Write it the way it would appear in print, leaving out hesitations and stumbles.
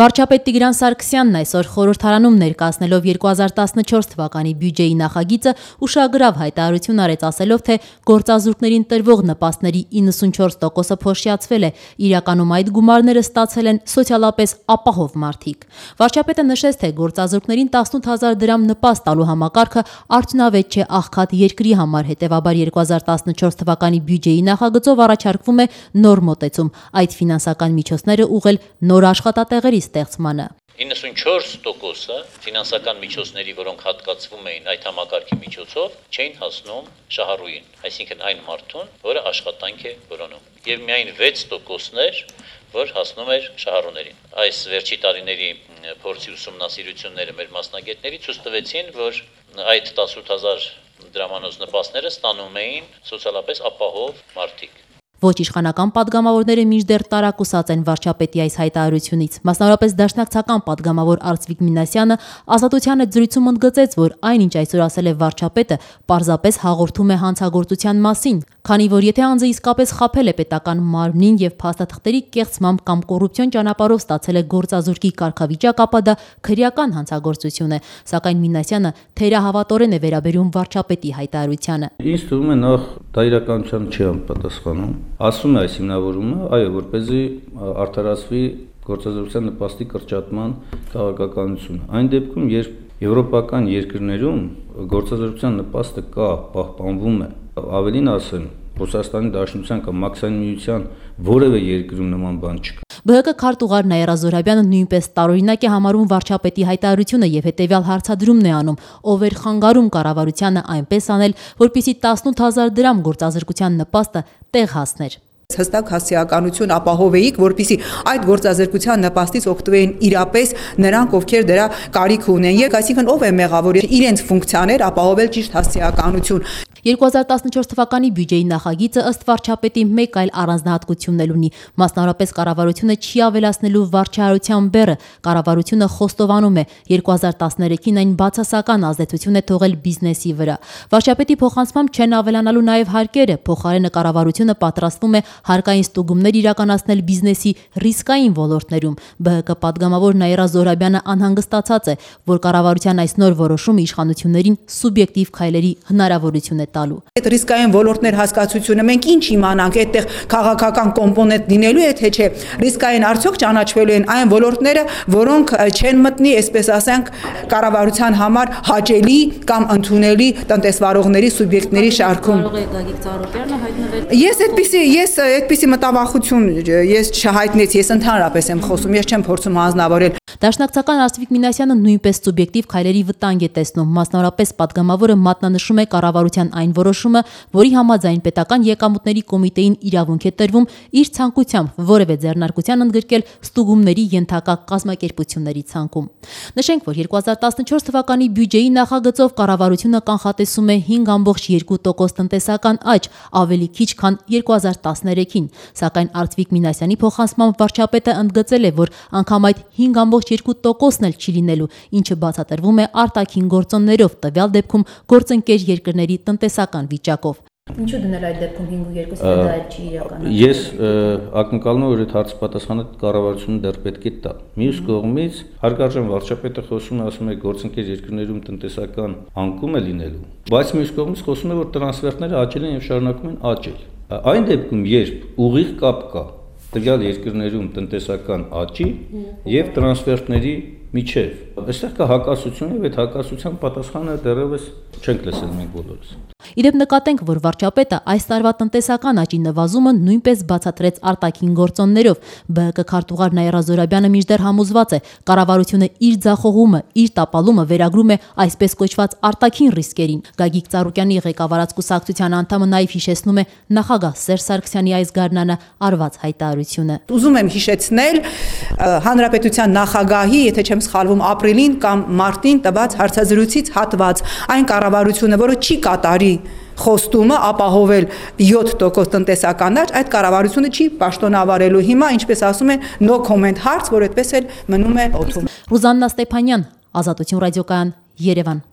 Վարչապետ Տիգրան Սարգսյանն այսօր խորհրդարանում ներկայացնելով 2014 թվականի բյուջեի նախագիծը ուշագրավ հայտարարություն արեց, ասելով, թե գործազուրկներին տրվող նպաստների 94%-ը փոշիացվել է, իրականում այդ գումարները ստացել են սոցիալապես ապահով մարդիկ։ Վարչապետը նշեց, թե գործազուրկներին 18,000 դրամ նպաստ տալու համակարգը արդյունավետ չէ աղքատ երկրի համար, հետևաբար 2014 թվականի բյուջեի նախագծով առաջարկվում է նոր մոտեցում, այդ ֆինանսական միջոցները ուղղել նոր աշխատատեղերի ստեղծմանը։ 94%-ը ֆինանսական միջոցների, որոնք հատկացվում էին այդ համակարգի միջոցով, չէին հասնում շահառուին, այսինքն այն մարդուն, որը աշխատանք է որոնում։ Եվ միայն 6%-ն էր, որ հասնում էր շահառուներին։ Այս վերջի տարիների փորձի ուսումնասիրությունները մեր մասնագետների ցույց տվեցին, որ այդ 18,000 դրամանոց նպաստները ստանում էին սոցիալապես ապահով մարդիկ։ Ոչ իշխանական падգամավորները մինչդեռ տարակուսած են վարչապետի այս հայտարարությունից։ Մասնավորապես դաշնակցական падգամավոր Արծվիկ Մինասյանը Ազատության հետ զրույցում ընդգծեց, որ այնինչ այսօր ասել է վարչապետը, պարզապես հաղորդում է հանցագործության մասին, քանի որ եթե անձը իսկապես խաբել է պետական մարմնին եւ փաստաթղթերի կեղծմամբ կամ կոռուպցիոն ճանապարհով ստացել է գործազուրկի կարգավիճակ, ապա դա քրեական հանցագործություն է, սակայն Մինասյանը թերահավատորեն է վերաբերում վարչապետի հայտարարությանը։ Ինձ թվում է նախ դա իրականության չի անպատասխանում։ Ասում է այս հիմնավորումը, այո, որպեսզի արդարացվի գործազուրկության նպաստի կրճատման քաղաքականությունը։ Այն դեպքում, երբ եվրոպական երկրներում գործազուրկության նպաստը կա, պահպանվում է, ավելին ասեմ, Ռուսաստանի Դաշնության կամ Մաքսային միության որևէ երկրում նման բան չկա։ ԲՀԿ քարտուղար Նաիրա Զոհրաբյանը նույնպես տարօրինակ է համարում վարչապետի հայտարարությունը եւ հետեւյալ հարցադրումն է անում. ով էր խանգարում կառավարությանը այնպես անել, որպեսզի 18,000 դրամ գործազրկության նպաստը տեղ հասներ։ Հստակ հասարակականություն ապահովեիք, որպեսզի այդ գործազրկության նպաստից օգտվեին իրապես նրանք, ովքեր դրա կարիք ունեն, եւ այսինքն ով է մեղավոր իրենց ֆունկցիաներ ապահովել ճիշտ հասարակականություն։ 2014 թվականի բյուջեի նախագիծը ըստ վարչապետի մեկ այլ առանձնահատկություն ունի, մասնավորապես կառավարությունը չի ավելացնելու վարչահարության բեռը, կառավարությունը խոստովանում է 2013-ին այն բացասական ազդեցություն է թողել բիզնեսի վրա։ Վարչապետի փոխանցմամբ չեն ավելանալու նաև հարկերը, փոխարենը կառավարությունը պատրաստվում է հարկային ստուգումներ իրականացնել բիզնեսի ռիսկային ոլորտներում։ ԲՀԿ падգամավոր Նաիրա Զոհրաբյանը անհանգստացած է, որ կառավարության այս նոր որոշումը իշխանություններին սուբյեկտիվ քայլերի հնարավորություն է տալու։ Այդ ռիսկային ոլորտներ հասկացությունը մենք ինչ իմանանք, այդտեղ քաղաքական կոմպոնենտ լինելու է, թե չէ, ռիսկային արդյոք ճանաչվելու են այն ոլորտները, որոնք չեն մտնի, այսպես ասենք, կառավարության համար հաճելի կամ ընդունելի տնտեսվարողների սուբյեկտների շարքում։ Ես այդպիսի մտավախություն չհայտնեցի, ես ընդհանրապես եմ խոսում, ես չեմ փորձում հանձնավորել։ Դաշնակցական Արծվիկ Մինասյանը նույնպես սուբյեկտիվ քայլերի վտանգ է տեսնում, մասնավորապես падգամավորը մատնանշում է կառավարության այն որոշումը, որի համաձայն պետական եկամուտների կոմիտեին իրավունք է տրվում իր ցանկությամբ որևէ ձեռնարկության ընդգրկել ստուգումների ենթակա կազմակերպությունների ցանկում։ Նշենք, որ 2014 թվականի բյուջեի նախագծով կառավարությունը կանխատեսում է 5,2% տնտեսական աճ, ավելի քիչ քան 2013-ին, սակայն Արծվիկ Մինասյանի փոխանցմամբ վարչապետը ընդգծել է, որ անգամ այդ 5,2%-ն էլ չի լինելու, ինչը բացատրվում է արտաքին գործոններով, տվյալ դեպքում գործընկեր երկրների տնտեսական վիճակով։ Ինչու դնել այդ դեպքում 5,2%-ը դա չի իրականացել։ Ես ակնկալում եմ, որ այդ հարցի պատասխանը կառավարությունը դեռ պետք է տա։ Մյուս կողմից հարգարժան վարչապետը խոսում է, ասում է գործընկեր երկրներում տնտեսական անկում է լինելու, բայց մյուս կողմից խոսում է, որ տրանսֆերտները աճել են եւ շարունակում են աճել։ Այն դեպքում, երբ ուղիղ կապ կա տվյալ երկրներում տնտեսական աճի եւ տրանսֆերտների միջև, այստեղ կա հակասություն եւ այդ հակասության պատասխանը դեռևս չենք լսել մենք բոլորս։ Իդեպ նկատենք, որ վարչապետը այս տարվա տնտեսական աճի նվազումը նույնպես բացատրեց արտաքին գործոններով։ ԲՀԿ քարտուղար Նաիրա Զոհրաբյանը մինչդեռ համոզված է, կառավարությունը իր ձախողումը, իր տապալումը վերագրում է այսպես կոչված արտաքին ռիսկերին։ Գագիկ Ծառուկյանի ղեկավարած կուսակցության անդամը նաև հիշեցնում է նախագահ Սերժ Սարգսյանի այս գարնանը արված հայտարարությունը։ Ուզում եմ հիշեցնել հանրապետության նախագահի, եթե չեմ սխալվում, ապրիլին կամ մարտին տված հարցազրույցից հատված, այն կառավարությունը, որը չի կատարի խոստումը ապահովել 7% տնտեսական աճ, այդ կառավարությունը չի պաշտոնավարելու։ Հիմա, ինչպես ասում են, no comment հարց, որ այդպես էլ մնում է օդում։ Ռուզաննա Ստեփանյան, Ազատություն ռադիոկայան, Երևան։